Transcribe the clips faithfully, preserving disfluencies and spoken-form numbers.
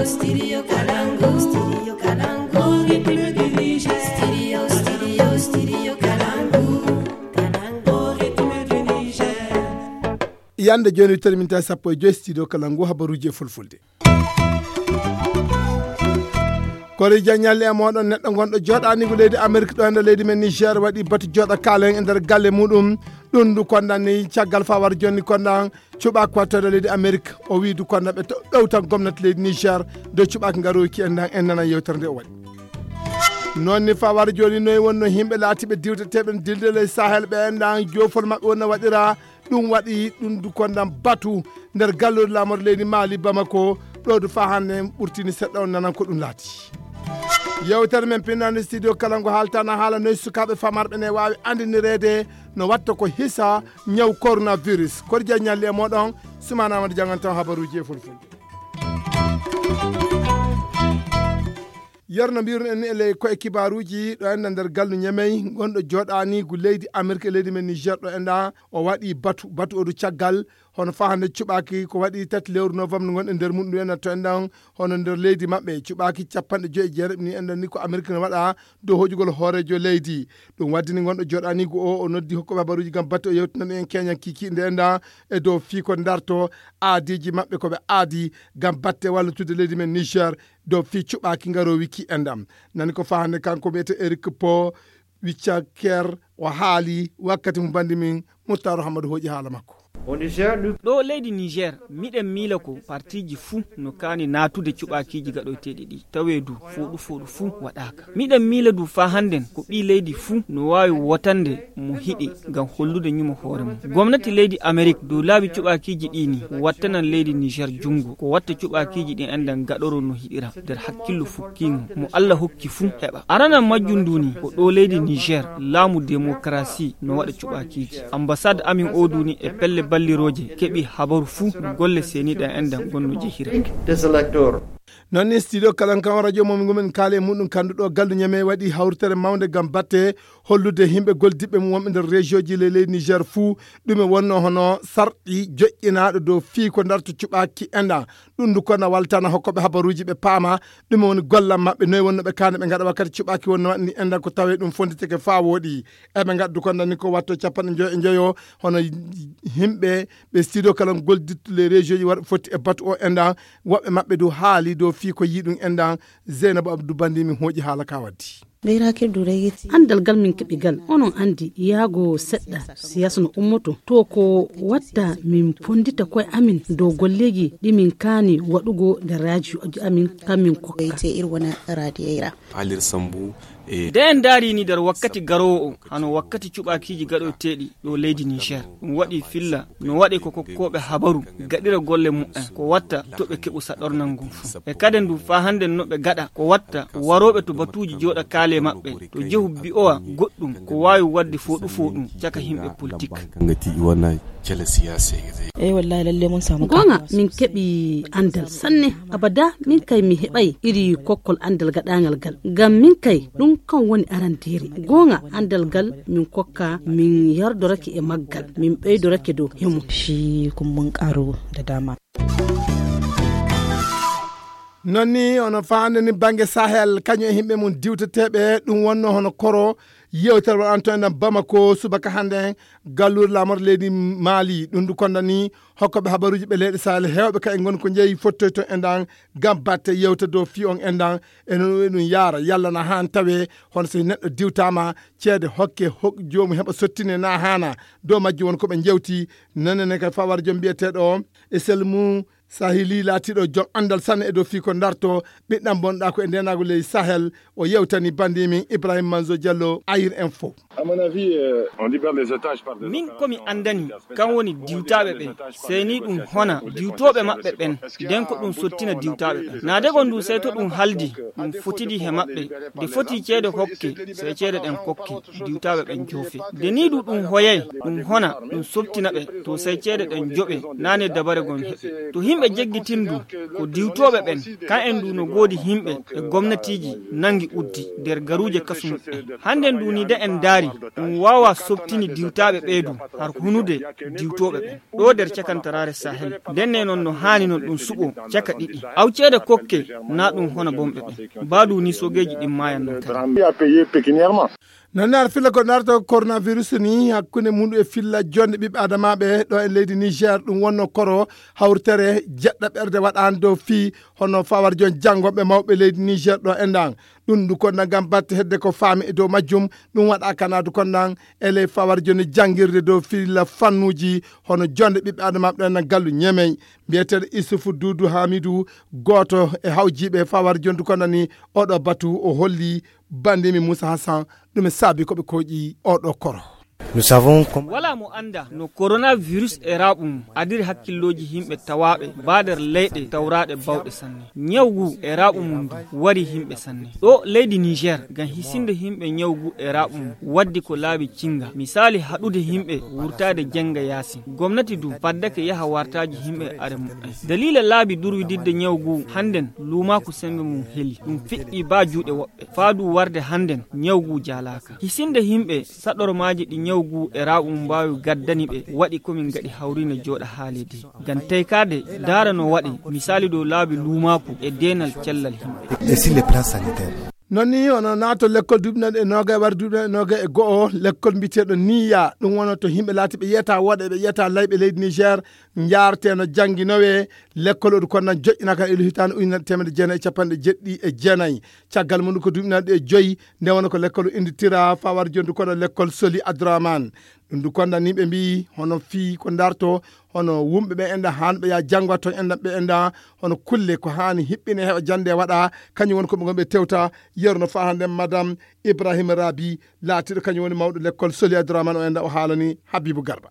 Studio Kalangu, Studio Kalangu, Ritme du Niger. Studio, Studio, Studio Kalangu, Kalangu, Ritme du Niger. Yande jooni, wittere min tawi sappo e joy, Studio Kalangu, habaruuji e fulfulde. Kori jaññalle e mooɗon, neɗɗo gonɗo jooɗaaniigu leydi Amerik ɗo e nder leydi men Niger waɗi batu jooɗa kaalen e nder galle muɗum. Ɗum ndu kondan ni caggal fawar jonni kondan cuɓaako wattoɗo leydi Amerik. O wii du kondan ɓe to-, ɗowtan gomnati leydi Niger dow cuɓaaki ngarooki en dan en nanan yewtere nde o waɗi. Noon ni fawar jooni noy wonno yimɓe laatiiɓe diwteteeɓe dilde ley Sahel ɓe en dan joofol maɓɓe wonno waɗira. Ɗum waɗi ɗum du kondan batu nder galluure laamorde leydi Mali Bamako. Ɗo du faa hannde en ɓurtini seɗɗa on nanan ko ɗum laati. Yewtere men pinnande studio kala ngo haaltana haala noy sukaaɓe famarɓe ne waawi anndinireede no watta ko hisa ñaw coronavirus. Kori jaññalli e mooɗon, Sumaana Amadu janngantan habaruuji e fulfulde. Yer no mbiruno en ni e ley koye kibaaruuji ɗo enɗa nder gallu Ñemey, gonɗo jooɗaaniigu leydi Amerik e leydi men Niger ɗo enɗa, o waɗi batu, batu o du caggal, hono faa hannde cuɓaaki ko waɗi tati lewru novembre ngonɗen nder mum ɗum enɗa to enɗan, hono nder leydi maɓɓe cuɓaaki capanɗe joy e jeeɗiɗi ni enɗan ni ko Amerik no waɗa dow hoƴugol hooreejo leydi. Ɗum waddini gonɗo jooɗaaniigu o, o noddi hokkooɓe habaruuji ngam batte o yewtinani en keñan kiikiiɗe nde enɗa e dow fii ko darto aadiiji maɓɓe ko ɓe aadi ngam batte wallutude leydi men Niger. Dow fii cuɓaaki ngaroowi ki enɗam. Nani ko faa hannde kanko wiyetee Eric Po Wiccaker o haali wakkati mo banndi min Muttar Hamadu hooƴi haala makko. Ɗo leydi Niger, miɗen miila ko partiiji fuu no kaani naatude cuɓaakiiji gaɗoyteeɗi ɗi, tawee du fooɗu fooɗu fuu waɗaaka. Miɗen miila du faa hannden ko ɓii leydi fuu no waawi wotande mo hiɗi ngam hollude ñumo hoore mum. Gomnati leydi Amerik dow laabi cuɓaakiiji ɗi ni wattanan leydi Niger junngo, ko watta cuɓaakiiji ɗi enɗan gaɗoro no hiɗira nder hakkillo fukkiingo mo Alla hokki fuu heɓa. Aranan majjum ndu ni ko ɗo leydi Niger laamu demokarasi no waɗa cuɓaakiiji. Ambasaad amin o du ni e pelle ballirooje keɓi habaru fuu no golle seeniiɗan enɗan gonno jehira. Noon ni studio kalan kan radio mo min ngomin kaale e muɗum kanduɗo gallu Ñamey waɗi hawritere mawnde ngam batte hollude yimɓe goldiɓɓe mum wonɓe nder région ji ley leydi Niger fuu ɗume wonno hono sarɗi joƴƴinaaɗo dow fii ko darto cuɓaaki enɗan. Ɗum ndu kono waltana hokkooɓe habaruuji ɓe paama ɗume woni gollan maɓɓe, noy wonno ɓe kaane ɓe ngaɗa wakkati cuɓaaki wonno waɗni enɗan ko tawee ɗum fonditeke faa wooɗi. Eɓe ngaddu ko nani ko watto capanɗe njoyo e njoyo hono yimɓe ɓe studio kala goldittu les région ji waɗa fotti e batu o enɗan. Woɓɓe maɓɓe du haali dow fii ko yii ɗum enɗan. Zeynabu Abdou Bandi min hooƴi haala ka waddi. Anndal gal min keɓi gal onon anndi yaago seɗɗa siyasa no ummoto to ko watta min pondita koye amin dow golleeji ɗi min kaani waɗugo nder raaji amin kan min kokka. Paalir Sambu e nde en ndaari ni nder wakkati garoowo o hano wakkati cuɓaakiiji gaɗoyteeɗi ɗo leydi Niger. Ɗum waɗi filla no waɗe ko kokkooɓe habaru gaɗira golle muɓɓen ko watta to ɓe keɓu saɗornal ngun fuu. E kaden du faa hannden no ɓe gaɗa ko watta warooɓe to batuuji jooɗa kaale maɓɓe to jehu bi'owa goɗɗum ko waawi waɗde fooɗu fooɗum caka yimɓe politik. Goonga min keɓi anndal sanne. Abada min kay mi heɓay iri kokkol anndal gaɗaangal gal ngam min kay ɗum kan woni arandeere. Goonga anndal gal min kokka min yardorake e maggal min ɓeydorake dow hemo. Shi kun mun ƙaru da dama. Noon ni ono faande ni bannge Sahel kañum e yimɓe mum diwteteeɓe ɗum wonno hono koro yewtere waɗanto enɗan Bamako subaka hannde galluure laamorde leydi Mali. Ɗum ndu konda ni hokkooɓe habaruuji ɓe leyɗe Sahel heewɓe ka e ngon ko njeeyi fottoyto enɗan ngam batte yewta dow fii on enɗan e noon ɗum yaara yalla na haan tawe hono so neɗɗo diwtaama ceede hokke hok joomu heɓa sottine na haana. Dow majji won ko ɓe njewti nanene kay fawar joom mbiyeteeɗo e selmu Sahili laatiiɗo joom anndal sanne e dow fii ko darto ɓiɗɗam bonɗa ko e ndenagu ley Sahel. O yewtani bandi min Ibrahim Manzo Diallo Ayir Info. Min komi anndani kan woni diwtaaɓe ɓen seyni ɗum hona diwtooɓe maɓɓe ɓen nden ko ɗum sottina diwtaaɓe ɓen naade gon ndu sey to ɗum haldi ɗum fotidi he maɓɓe. Nde foti ceede hokke sey ceede ɗen kokke diwtaaɓe ɓen joofe nde ni du ɗum hoyay ɗum hona ɗum sottina ɓe to sey ceede ɗen joɓe naane dabare gon heɓe to Yimɓe jeggitindu ko diwtooɓe ɓen, kan en ndu no goodi yimɓe e gomnatiiji nangi uddi nder garuuje kasu muɓɓen. Hannden ndu ni de en ndaari, ɗum waawa softini diwtaaɓe ɓee du har hunude diwtooɓe ɓen. Ɗo nder cakantaraare Sahel, ndenne non no haani non ɗum suɓo caka ɗiɗi. Awceede kokke na ɗum hono bomɓe ɓen. Baadu ni sogeeji ɗin maayan non kadi. Non ne ar filla ko narto coronavirus ni hakkunde mundu e filla jonde ɓiɓɓe adamaɓe ɗo e leydi Niger ɗum wonno koro hawritere jeɗɗa ɓerde waɗan dow fii hono fawar jon janngoɓe mawɓe leydi Niger ɗo e ndan. Ɗum ndu konda ngam batte hedde ko faami e dow majjum. Ɗum waɗa kana du kondan e ley fawar joni janngirde dow filla fannuji hono jonde ɓiɓɓe adamaɓe ɗo e ndan gallu ñemey. Mbiyeteeɗo Isufu Duudu Hamidu, gooto e hawjiiɓe fawar jondu konda ni oɗo batu o holli bandimi Moussa Hassan ɗum e saabi ko ɓe koƴi oɗo koro. Nous savons comment. Wala mo annda no coronavirus e raaɓu mum adiri hakkillooji yimɓe tawaaɓe baader leyɗe tawraaɗe bawɗe sanne. Ñaw ngu e raaɓu mum ndu wari yimɓe sanne. Ɗo leydi Niger, ngam hisinde yimɓe ñaw ngu e raaɓu mum, waddi ko laabi cinga. Misaali haɗude yimɓe wurtaade jenga yaasin. Gomnati du faddake yaha wartaaji yimɓe are mumen. Daliila laabi durwididde ñaw ngu hannden luumaaku sembe mum heli. Ɗum fiɗɗi baa juuɗe woɓɓe. Faadu warde hannden ñaw ngu jaalaaka. Hisinde yimɓe saɗormaaji ɗi ñaw ngu e raaɓu mum mbaawi gaddani ɓe waɗi ko min ngaɗi hawriinde jooɗa haaleede. Ngam teykaade daara no waɗi misaali dow laabi luumaaku e deenal cellal yimɓe. Et sur les plans sanitaires. Non ni hono naato lekkol duuɓi naɗi e noogay wara duuɓi naɗi e noogay e go'o lekkol mbiyeteeɗo niya ɗum wono to yimɓe laati ɓe yiyata wooɗa ɓe yiyata layɓe leydi Niger. Njaarteno jannginoowe lekkol oɗo konnan joƴƴinaka ilo hitaande ujunere teemedde jeenayi e capanɗe jeɗɗi e jeenayi. Caggal mum ko duuɓi naɗi e joyi nde wona ko lekkol o innditira fawar jondu kono lekkol Soli Abdourahmane. Ɗum du konda ni ɓe mbiyi hono fii ko darto hono wumɓe ɓe enda han ɓe ya janngo ton enda ɓe enda hono kulle ko haani hiɓɓine heɓa jannde waɗa. Kañum woni ko ɓe gonɓe tewta yeru no faa hannde madame Ibrahima Rabi laatiɗo kañum woni mawɗo lekkol Soli Abdourahmane o enda o haalani Habibu Garba.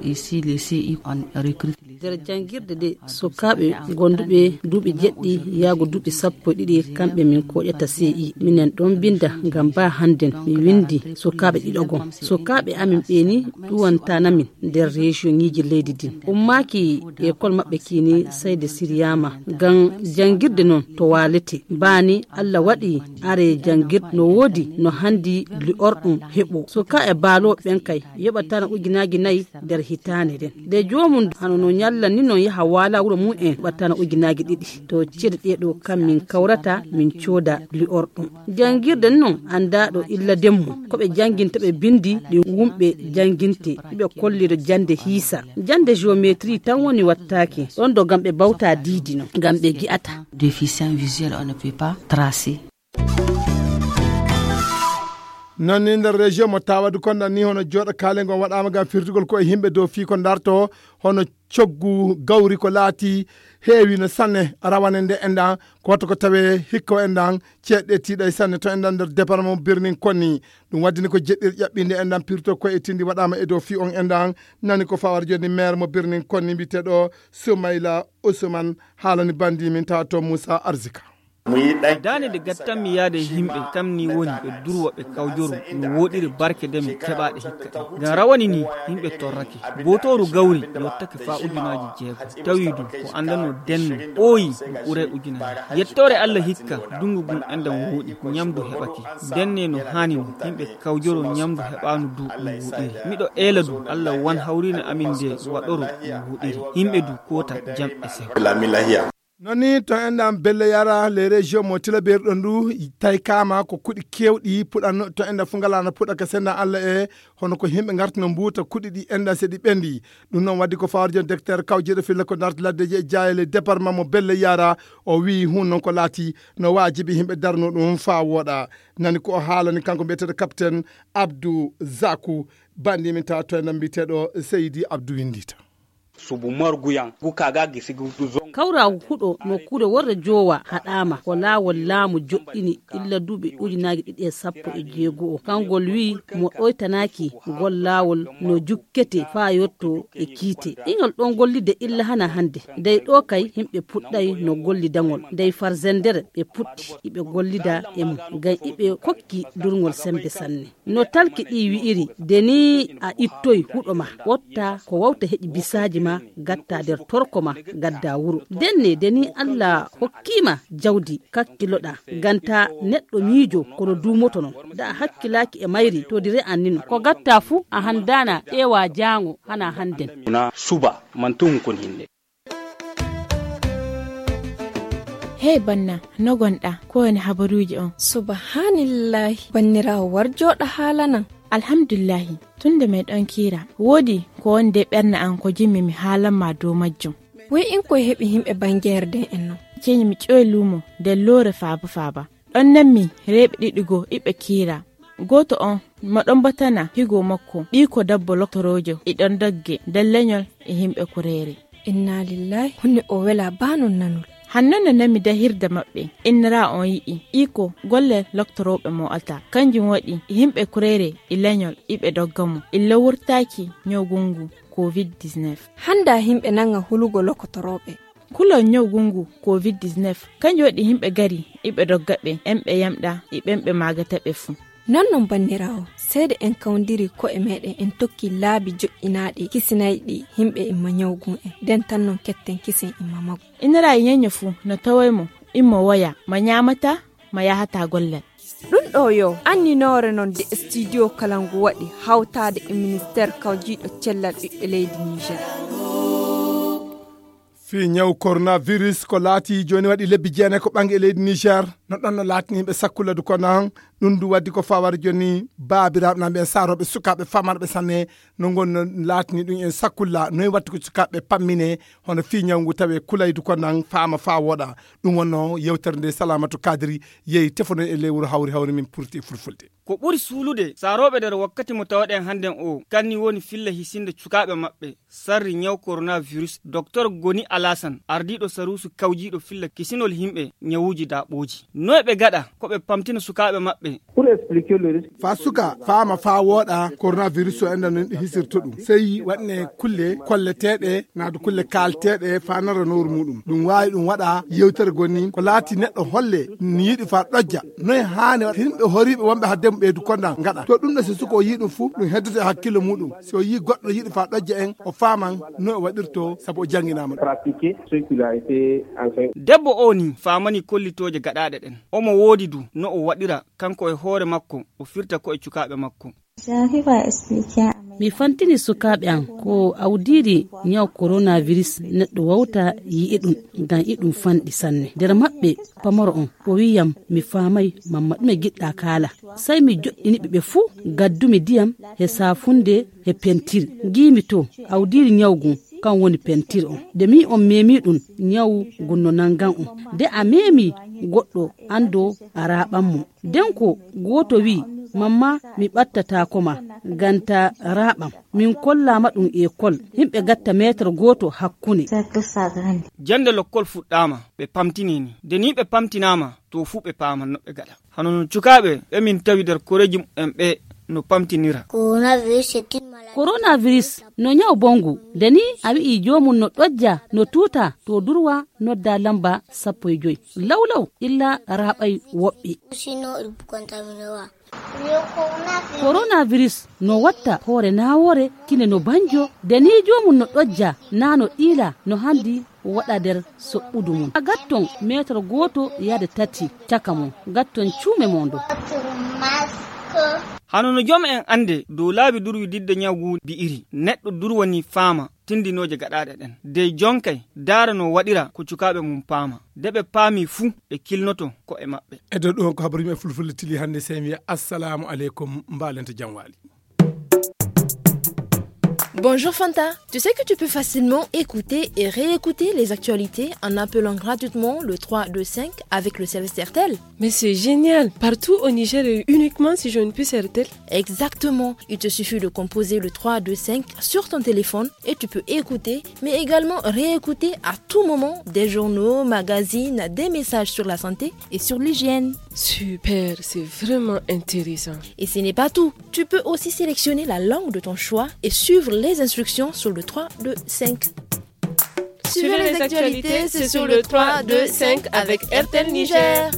Ici les C I on recrute les nder janngirde nde sukaaɓe gonduɓe duuɓi jeɗɗi yaago duuɓi sappo e ɗiɗi kamɓe min koƴata C I. Minen ɗon mbinda ngam ba hannden mi windi sukaaɓe ɗiɗo gon. Sukaaɓe amin ɓeeni ɗuwantana min nder région ŋiiji leydi din. Ummaaki école maɓɓe kiini sayde siryaama ngam janngirde non to waalete. Baani Allah waɗi are janngirde no woodi no hanndi li'orɗum heɓo. Sukaaɓe baalooɓe ɓen kay yoɓatana ujunaaji nayi nder hitaande nden. Nde joomum hano no ñalla ni non yaha waala wuro mum en ɓattana ujunaaji ɗiɗi. To ceede ɗee ɗo kam min kawrata min cooda li'orɗum. Janngirde non anndaaɗo illa demmo. Ko ɓe jannginta ɓe binndi ɗi wumɓe jannginte. Ɓe kolliro jannde hiisa. Jannde géométrie tan woni wattaake. Ɗon ɗo ngam ɓe bawta diidi non. Ngam ɓe gi'ata. Déficient visuel, on ne peut pas tracer. Non ni nder région mo tawadu konda ni hono jooɗo kaale ngon waɗama ngam firtugol ko e yimɓe dow fii ko darto hono coggu gawri ko laati heewi no sanne rawane nde enɗan ko watto ko tawe hikka o enɗan ceeɗɗe tiiɗay sanne to enɗan nder département birnin konni. Ɗum waddini ko jeɗɗir ƴaɓɓinde enɗan pirto ko e tindi waɗama e dow fii on enɗan nani ko fawar joni maire mo birnin konni mbiyeteɗo Soumaila Ousmane haalani bandi min tawa to Moussa Arzika. Daande nde gattanmi yaade e yimɓe kam ni woni ɓe durwa ɓe kawjoro no woɗiri barke nde mi keɓaɗe hikka ɗe. Ngam rawane ni yimɓe torrake. Bootooru gawri yottake faa ujunaaji jeego. Tawi du ko anndano denno ɓooyi no ɓuray ujunaaji. Yettoore Allah hikka ndungu ngun enɗan wooɗi, ñamdu heɓake. Denne no haani no yimɓe kawjoro ñamdu heɓaanu du no woɗiri. Miɗo eela du Allah wan hawriine amin nde waɗoro no woɗiri. Yimɓe du koota jam e sew. Non ni to enɗan belle yara les régions mo tilaberi ɗon du taykama ko kuɗi kewɗi puɗan to enɗan fu ngalano puɗa ka sendan Allah e hono ko yimɓe ngartuno mbuuta kuɗi ɗi enɗan se ɗi ɓendi. Ɗum noon waddi ko fawar jon docteur kawjiɗo filla ko darti laddeji e jayele département mo belle yara o wi hun noon ko laati no wajibi yimɓe darno ɗum fa woɗa. Nani ko o haalani kanko mbiyeteɗo capitaine Abdou Zakou bandi min tawa to enɗan mbiyeteɗo Seydi Abdou Windita. Subu morguyan gu kaga gisi gu zon. Kawraagu huɗo nokkuure worre joowa haɗaama ko laawol laamu joɗɗini illa duuɓi ujunaaji ɗiɗi e sappo e jeego o. Kangol wi'i mo ɗoytanaaki ngol laawol no jukkete faa yotto e kiite. Iñol ɗon gollide illa hana hannde. Dey ɗoo kay yimɓe puɗɗay no gollidangol. Dey farzendere ɓe puɗɗi iɓe gollida e mum. Ngam iɓe kokki durngol semmbe sanne. No talki ɗi wi'iri, de ni a ittoy huɗo ma, ɓotta ko wawta heƴi bisaaji ma, gatta nder torko ma, gadda wuro. Denne, de ni Allah hokkii ma jawdi, kakkiloɗa, ganta neɗɗo miijo kono duumoto non. Da a hakkilaaki e mayri, to di re'an ni no. Ko gatta fu, a handana ƴeewa jaango, hana handen. Una suba, man tuhun kun hinde. Hey banna, no gonɗa? Ko woni habaruuji on? Subhanillahi, banniraawo, war jooɗa haalanan. Alhamdulillahi, tun nde meɗon kiira, woodi ko woni de ɓernde an ko jimmi mi haalan ma dow majjum. Wey in koye heɓi himɓe bangeere den en non? Ceeni mi ƴoy luumo nder loore faaba faaba. Ɗon nanmi reeɓe ɗiɗi goo iɓe kiira. Gooto on mo ɗon batana higo makko, ɓiiko dabbo loktoroojo, e ɗon dogge nder leñol e himɓe kureere. Inna lillahi, hunde o wela baa non nanol. Hanno no nanmi dahirde maɓɓe, innira on yi'i iko golle loktorooɓe mo ata. Kanjum waɗi himɓe kureere e leñol iɓe dogga mo, illa wurtaaki ñawgu ngu covid dix-neuf. Handa himɓe nanga hulugo loktorooɓe. Kulol ñawgu ngu covid dix-neuf, kanjum waɗi himɓe gari iɓe dogga ɓe, en ɓe yamɗa e ɓen ɓe maagata ɓe fuu. Non non banniraawo, seede en kawndiri ko'e meɗen en tokki laabi joƴƴinaaɗi kisinayɗi himɓe imma ñawgu en, den tan non ketten kisen imma magu. Inira e ñeño fuu no tawoy mo, immo woya, ma ñaamata, ma yahata gollal. Ɗum ɗo yo anninoore non de studio kala ngu waɗi hawtaade e ministère kawjiiɗo cellal ɓiɓɓe leydi Niger. Fii ñaw coronavirus ko laati jooni waɗi lebbi jeenayi ko ɓangi e leydi Niger. No ɗon no laatini ɓe sakkulla du kono ɗum du waddi ko fawar jooni baabiraaɓe nan ɓen saarooɓe sukaaɓe famarɓe sanne no ngon no laatini ɗum en sakkulla noy watti ko sukaaɓe pammine hono fii ñaw ngu tawe kulaydu ko nan faama faa wooɗa. Ɗum wonno yewtere nde Salamatu Kadiri yehi tefono e ley wuro hawri hawri min purti e fulfulde. Ko ɓuri suulude saarooɓe nder wakkati mo tawaɗen hannden o kanni woni filla hisinde cukaaɓe maɓɓe sarri ñaw coronavirus. Docteur Goni Alasan, ardiiɗo saruusu kawjiiɗo filla kisinol himɓe ñawuuji daaɓooji. Noy ɓe gaɗa ko ɓe pamtina sukaaɓe maɓɓe? Faa suka faama faa wooɗa coronavirus o enda no hisirto ɗum sey waɗne kulle kolleteeɗe naadu kulle kaalteeɗe faa nara nooru muɗum. Ɗum waawi ɗum waɗa yewtere goni ko laati neɗɗo holle ni yiɗi faa ɗojja. Noy haani waɗa himɓe horiiɓe wonɓe hadde mum ɓeydu konda ngaɗa to ɗum ɗo si suka o yii ɗum fuu ɗum heddoto e hakkille muɗum. Si o yii goɗɗo yiɗi faa ɗojja en o faaman no o waɗirto sabu o jannginaama ɗum. Debbo o ni faamani kollitooje gaɗaaɗe ɗen. Omo woodi du no o waɗira kanko e hoore makko o firta ko e cukaaɓe makko. Mi fantini sukaaɓe am ko awdiiri ñaw coronavirus neɗɗo wawta yi'e ɗum ngam iɗum fanɗi sanne. Nder maɓɓe pamaro on o wi'iyam mi faamay mamma ɗume giɗɗa kaala. Sey mi joɗɗini ɓe ɓe fuu gaddumi ndiyam he saafunde he pentir. Ngiimi to awdiiri ñaw ngun kan woni pentir on. Nde mi on meemi ɗum ñaw ngun no nangan on. Nde a meemi goɗɗo anndo a raaɓan mo. Nden ko gooto wi'i, mamma mi ɓattataako ma, ngam ta raaɓam. Min kollaama ɗum ekol, himɓe gatta meetar gooto hakkune. Jannde lokkol fuɗɗaama, ɓe pamtini ni. Nde nii ɓe pamtinaama, to fuu ɓe paaman no ɓe gaɗa. Hano no cukaaɓe ɓe min tawi nder koreeji mumen ɓe no pamtinira. Coronavirus no ñaw bonngu. Nde nii a wi'i joomum no ɗojja, no tuuta, to durwa nodda lamba sappo e joy. Law law illa raaɓay woɓɓe. Coronavirus no watta hoore naawoore, kine no banjo, de ni joomum no ɗojja, naa no ɗiila, no handi waɗa nder soɓɓudu mum. A gatton meetar gooto yaade tati caka mum, gatton cuume mon do. Hano no joom en annde dow laabi durwi didde ñaw ngu bi'iri, neɗɗo durwani faama tindinooje gaɗaaɗe ɗen. Dey jonkay daara no waɗira ko cukaaɓe mum paama. Nde ɓe paami fuu, ɓe kilnoto ko'e maɓɓe. E dow ɗum ko habaru yimɓe fulfulde tili hannde, sey mi wiya assalamu aleykum, mbaalente jam waali. Bonjour Fanta, tu sais que tu peux facilement écouter et réécouter les actualités en appelant gratuitement le trois deux cinq avec le service R T L. Mais c'est génial, partout au Niger et uniquement si je ne puis R T L. Exactement, il te suffit de composer le trois deux cinq sur ton téléphone et tu peux écouter, mais également réécouter à tout moment des journaux, magazines, des messages sur la santé et sur l'hygiène. Super, c'est vraiment intéressant. Et ce n'est pas tout. Tu peux aussi sélectionner la langue de ton choix et suivre les instructions sur le trois deux cinq. Suivez les actualités, c'est sur le trois deux cinq avec R T L Niger.